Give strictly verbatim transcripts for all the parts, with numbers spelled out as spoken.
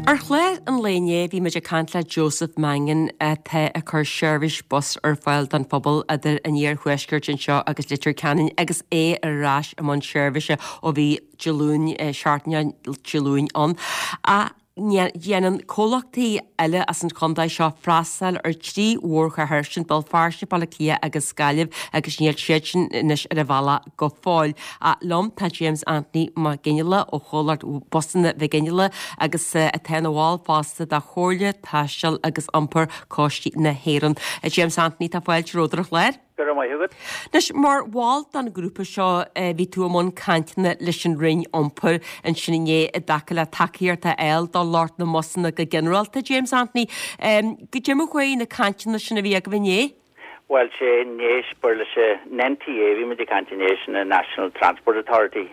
Ar chlár an lae inné bhí muid ag caint le Joseph Mangan atá ag cur seirbhís bus ar fáil don phobal idir an iarthuaisceart anseo agus Leitir Ceanainn agus é ar ais i mbun seirbhíse ó bhí Dé Luain seachtain Dé Luain ann. Ach Déanann comhlachtaí eile as an chontae seo freastal ar trí mhórchathair, sin Béal Feirste, Baile Átha Cliath agus Gaillimh agus níl siad sin anois ar an bhealach go fóill. Ach liom tá James Anthony Mac Fhionnghaile ó chomhlacht Busanna Mhic Fhionnghaile agus atá ina bhall fosta de Chomhairle Taistil agus Iompair Cóistí na hÉireann. James Anthony tá fáilte romhat ar an chlár. Go raibh maith agat. Anois, mar bhall den ghrúpa seo, bhí tú i mbun cainteanna leis an Roinn Iompair ansin inné i dtaca le tacaíocht a fháil do lucht na mbusanna go ginearálta, James Anthony. Goidé mar a chuaigh na cainteanna sin a bhí agaibh inné? Bhuel, sé inné, b'fhearr leis an NTA, bhí muid ag caint inné, sin an National Transport Authority.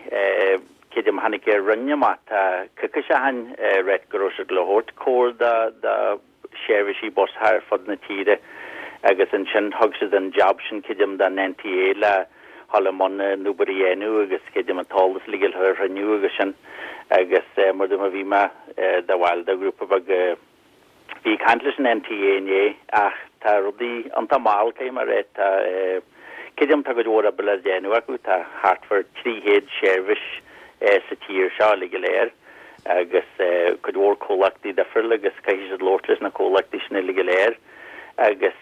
Creidim tháinig an Roinn amach tá coicís ó shin ráit go raibh siad le thabhairt cabhair do do seirbhísí bus thar fud na tíre agus ansin thug siad an jab sin creidim don NTA le dhul i mbun an obair a dhéanamh agus creidim an t-eolas uilig a chruinniú agus sin agus mar dúirt mé bhí mé de bhall de ghrúpa beag a bhí ag caint leis an NTA inné ach tá rudaí iontach mall caithfidh mé a rá tá creidim tá cuid mhór oibre le déanamh acu tá thart far trí chéad seirbhís sa tír seo uilig go léir agus cuid mhór comhlachtaí difriúla agus caithfidh siad labhairt leis na comhlachtaí sin uilig go léir agus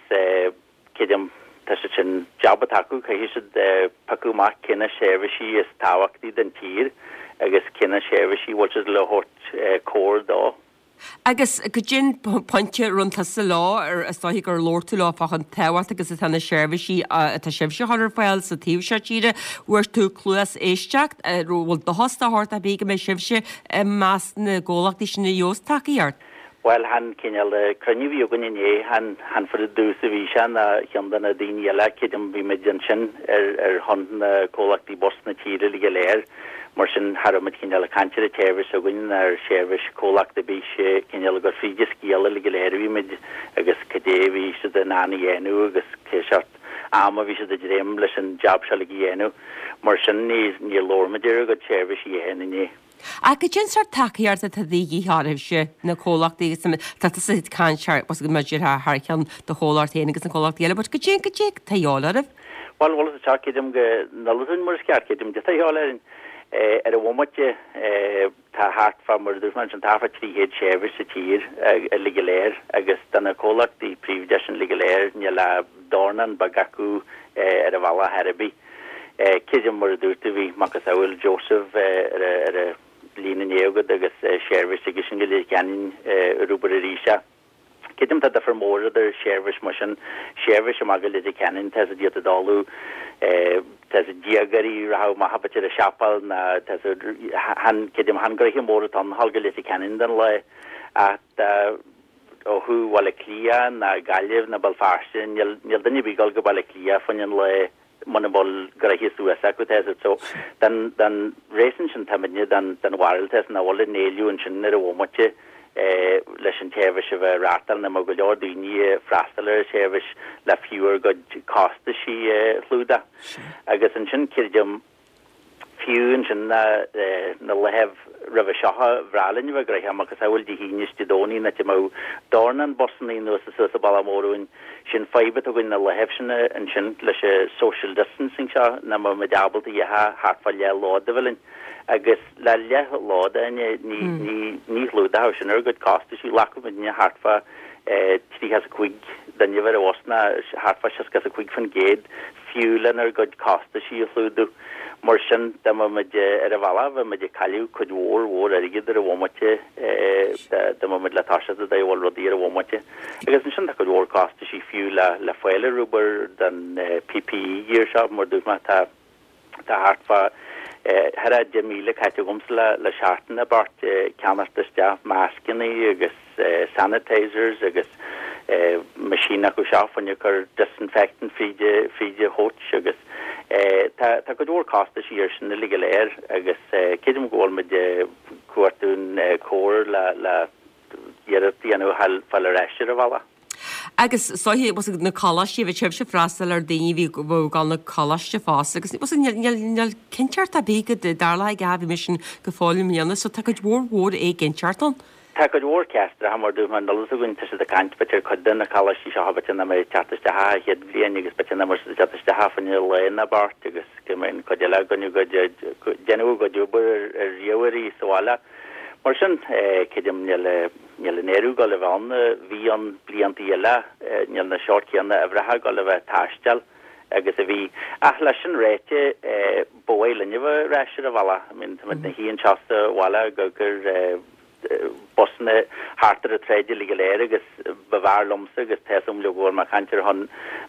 creidim tá siad sin jab atá acu caithfidh siad piocadh amach cé na seirbhísí is tábhachtaí don tír agus cé na seirbhísí bhfuil siad le thabhairt cabhair dó. Agus goidé an pointe a rinne tusa leo ar is dóiche gur labhair tú leo fá chomh tábhachtach agus atá na seirbhísí atá sibhse a chur ar fáil sa taobh seo tíre. Bhfuair tú cluas éisteacht, bhfuil dóchas de shórt ar bith go mbeidh sibhse i measc na gcomhlachtaí sin a gheobhas tacaíocht? Bhuel, chan cineál cruinniú a bhí againn inné, chan chan fud dtús a bhí sé ná cheann de na daoine eile, creidim bhí muid ansin ar ar shon na comhlachtaí bus na tíre uilig go léir. Mar sin, cha raibh muid cineál ag caint ar an tseirbhís s'againn ná ar sheirbhís comhlacht ar bith, sé cineál ag cur fríd an scéal uilig go léir a bhí muid agus cad é a bhí siad in ann a dhéanamh agus cé seort am a bhí siad ag dréim leis an jab seo uilig a dhéanamh. Mar sin, ní níor labhair muid ar a gcuid seirbhísí féin inné. Ach goidé an sórt tacaíocht atá de dhíth oraibhse, na comhlachtaí agus tá tusa ag caint thar thar cheann do chomhlacht féin agus na comhlachtaí eile, but goidé goidé atá de dhíobháil oraibh. Bhuel, bhuel, is creidim go n-ullmhúinn mar is ceart, creidim de dhíobháil orainn. Ar an bhomaite tá thart fá mar a dúirt mé ansin, tá thart fá trí chéad seirbhís sa tír uilig go léir agus do na comhlachtaí príobháideacha sin uilig go léir níl ach dornán beag acu ar an bhealach ar bith. Creidim mar a dúirt tú bhí macasamhail Joseph ar ar an líne inné agat agus seirbhís aige sin go Leitir Ceanainn ar obair arís é. Creidim tá difear mór idir seirbhís mar sin, seirbhís amach go Leitir Ceanainn tá siad iad ag dul tá siad déagóirí rachadh amach b'fhéidir ag siopail ná tá siad chan creidim chan gnoithe mór atá ann a dhul go Leitir Ceanainn don lá ach ó thuaidh Bhaile Átha Cliath ná Gaillimh ná Béal Feirste níl níl duine ar bith ag dul go Baile Átha Cliath fá choinne an lae muna bhfuil gnoithe suas acu tá siad so den den réason sin táimidne den den bharúil tá nach bhfuil an éileamh ansin ar an bhomaite leis an tseirbhís a bheith reáchtáil nó mar go leor daoine ag freastal ar an tseirbhís le fiú ár gcuid costaisí a chlúdach. Agus ansin creidim fiú ansin na na laethibh roimhe seo ba bhreá linn a bheith gnoitheach macasamhail Dé hAoine is Dé Domhnaigh nach mbeadh dornán busanna anuas is suas an bealach mór uainn. Sin fadhb atá againn na laethibh sin ansin leis an social distancing seo nach mbeadh muid ábalta a dhéanamh thart fá leath-lód a bheith linn. Agus le leath-lód ní ní ní ní chlúdódh sin ár gcuid costaisí ghlacfadh muidne thart fá tríocha is a cúig duine a bheith ar an bhus ná thart fá seasca is a cúig faoin gcéad fiú lenár gcuid costaisí a chlúdú. Mar sin dá mbeadh muid ar an bhealach bheadh muid ag cailleadh cuid mhór mhór airgid ar an bhomaite dá mbeadh muid le toiseacht ag díol rudaí ar an bhomaite. Agus ansin tá cuid mhór costaisí fiú le le fáil ar obair don PPE gear seo mar dúirt mé tá Tá thart fá thar a deich míle caite agamsa le le seachtain ag beart ceannacht isteach mascanna agus sanitizers agus machine acu seo fá choinne cur disinfectant fríd fríd an choach agus tá tá cuid mhór costaisí ar sin uilig go léir agus creidim go bhfuil muid ag cuartú cabhair le le iarracht a dhéanamh fáil ar ais ar an bhealach. Agus is dóiche, bhfuil fhios agat, na coláistí, bhí sibhse ag freastal ar daoine a bhí ag gabháil na coláiste fosta agus bhfuil fhios agat, níl, níl cinnteacht ar bith go dtarlóidh a dhath, bhí mise go fóill i mbliana, so tá cuid mhór mhór éiginnteacht ann. Tá cuid mhór ceisteanna mar dúirt mé níl a fhios againn tá siad ag caint b'fhéidir cuid de na coláistí seo b'fhéidir nach mbeidh teacht isteach an chéad bhliain agus b'fhéidir nach mbeidh siad ag teacht isteach fá choinne lá nó beirt agus go mbeidh an cuid eile againn ag déanamh a gcuid obair ar ríomhairí sa bhaile. Mar sin creidim níl níl an oiread ag dul a bheith ann a bhí ann blianta eile, níl na seort céanna uimhreacha ag dul a bheith ag taisteal agus a bhí. Ach leis sin ráite ba mhaith linn a bheith ar ais ar an bhealach. I mean táimid ina shuí anseo sa bhaile ag cur busanna thart ar an tsráid uilig go léir agus ba bhfearr liomsa agus tá a fhios agam go bhfuil mé ag caint ar shon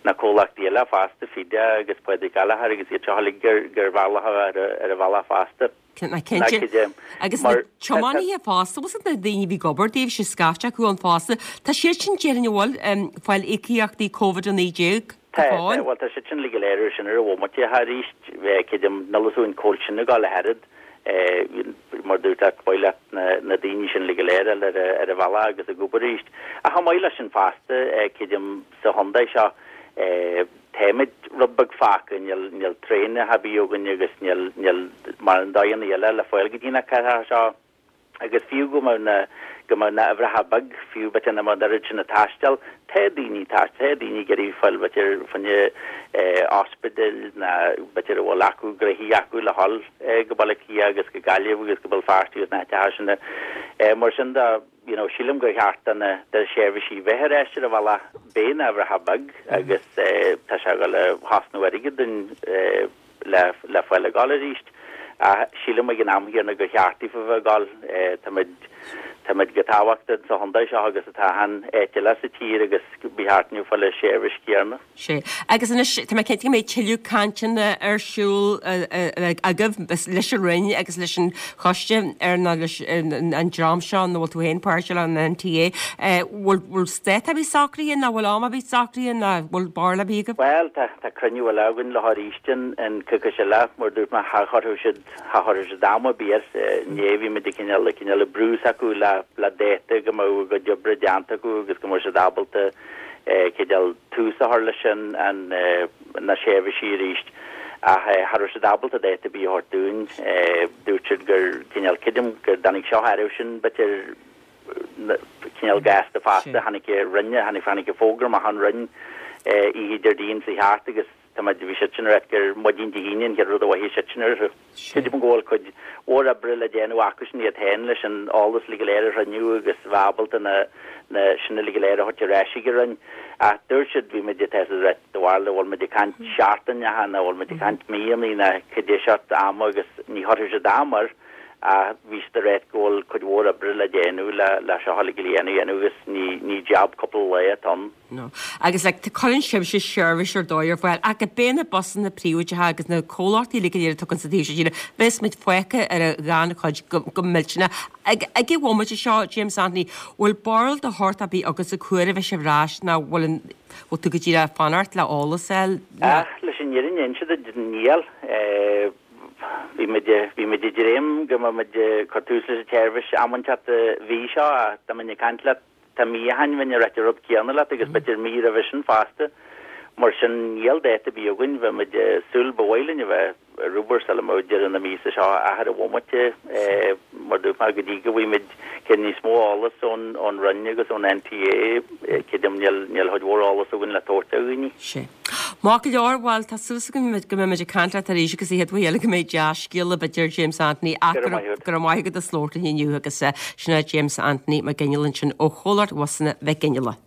na comhlachtaí eile fosta, Fida agus Pádraig Gallagher agus iad seo uilig gur gur bhfearr leo a bheith ar an bhealach fosta. Cinnte. Agus na tiománaithe fosta, bhfuil na daoine a bhí ag obair daoibhse scaifte acu ann fosta, tá siad sin déarfainn an bhfuil ag fáil íocaíochtaí Covid a naoi déag go Tá, fóill? bhuel tá siad sin uilig go léir ar sin ar an bhomaite arís, creidim, níl a fhios againn cá bhfuil sin ag dul ach oiread. Mar dúirt leat, ba mhaith leat na daoine sin uilig go léir a fháil ar an bhealach agus ag obair arís. Ach chomh maith leis sin fosta, creidim sa chontae seo, táimid rud beag fágtha, níl níl traenacha ar bith againn agus níl níl mórán dóigheanna eile le fáil go dtí na cathracha seo. Agus fiú go mbeadh na, go mbeadh na uimhreacha beag, fiú b'fhéidir nach mbeadh an oiread sin ag taisteal, tá daoine ag taisteal, tá daoine ag iarraidh fáil b'fhéidir fá choinne ospidéil ná b'fhéidir a bhfuil acu gnoithí acu le dhul go Baile Átha Cliath agus go Gaillimh agus go Béal Feirste agus na háiteacha sin. Mar sin de, you know, sílim gur cheart do na, do na seirbhísí bheith ar ais ar an bhealach, beidh na huimhreacha beag agus tá sé ag dul a chosnú airgid dúinn le, le fáil ag dul arís. Ach sílim ag an am chéanna gur cheart daofa bheith ag dul. Táimid, táimid chomh tábhachtach sa chontae seo agus atá achan áit eile sa tír agus ba cheart dúinn fáil an seirbhís chéanna. Sea. Agus anois, tá mé cinnte go mbeidh tuilleadh cainteanna ar siúl agaibh leis an Roinn agus leis an choiste ar nó leis an dream seo ina bhfuil tú féin páirteach, an NTA. Bhfuil, bhfuil dáta ar bith socraithe nó bhfuil am ar bith socraithe nó bhfuil barúil ar bith agaibh? Bhuel, tá, tá cruinniú eile againn leo arís an, an coicís eile, mar dúirt mé, cha chuirfeadh siad, cha chuirfeadh siad am ar bith air. Inné bhí muid ag cineál, ag cineál ag brú s'acu le, le dáta go mbeadh a gcuid oibre déanta acu agus go mbeadh siad ábalta cineál tús a chur leis an, an, na seirbhísí arís. Ach cha raibh siad ábalta dáta ar bith a thabhairt dúinn. Dúirt siad gur cineál, creidim go dtáinig seo orthu sin b'fhéidir cineál gasta fosta, tháinig an Roinn, tháinig, tháinig an fógra amach ón Roinn oíche Déardaoin seo thart agus tá muid, bhí siad sin ag ráit gur maidin Dé hAoine an chéad rud a mhothaigh siad sin orthu. Creidim go bhfuil cuid mhór oibre le déanamh acu sin iad féin leis an eolas uilig go léir a chruinniú agus bheith ábalta na, na, sin uilig go léir a thabhairt ar ais ag an Roinn. Ach dúirt siad, bhí muid ag test ag ráit, do bharúil an bhfuil muid ag caint seachtaineacha nó an bhfuil muid ag caint míonna nó cad é seort ama agus ní chuirfeadh siad am air ach bhí siad ag ráit go bhfuil cuid mhór oibre le déanamh le le seo uilig go léir a dhéanamh agus ní ní jab cúpla lá atá ann. No. Agus like, cuireann sibhse seirbhís ar dóigh ar fáil ach go bé na busanna príobháideacha agus na comhlachtaí uilig go léir a tugann sa taobh seo tíre, bheas muid fágtha ar an ghannchuid go, go millteanach. Ag ag an bhomaite seo, James Anthony, bhfuil barúil de shórt ar bith agatsa cá huair a bheidh sibh ar ais nó bhfuil an bhfuil tú go díreach ag fanacht le eolas a fháil? Ach leis an fhírinne a inse duit, níl. Bhí muid, bhí muid ag dréim go mbeadh muid ag cur tús leis an tseirbhís am inteacht an mhí seo ach dá mbeinn ag caint leat tá mí ó shin bheinn ag ráit an rud céanna leat agus b'fhéidir mí roimhe sin fosta. Mar sin níl dáta ar bith againn, bheadh muid ag súil, ba mhaith linn a bheith ar obair sula mbeadh deireadh na míosa seo ach ar an bhomaite, mar dúirt mé, go dtí go bhfaighidh muid céad níos mó eolas ón ón Roinn agus ón NTA, creidim níl níl cuid mhór eolas againn le tabhairt do dhaoine. Sea. Maith go leor, bhuel, tá súil agam go mbeidh muid ag caint leat arís agus an chéad uair eile go mbeidh dea-scéala b'fhéidir James Anthony ach Go raibh maith agat. go raibh maith agat as labhairt linn inniu agus sin é James Anthony Mac Fhionnghaile ansin ó Chomhlacht Bhusanna Mhic Fhionnghaile.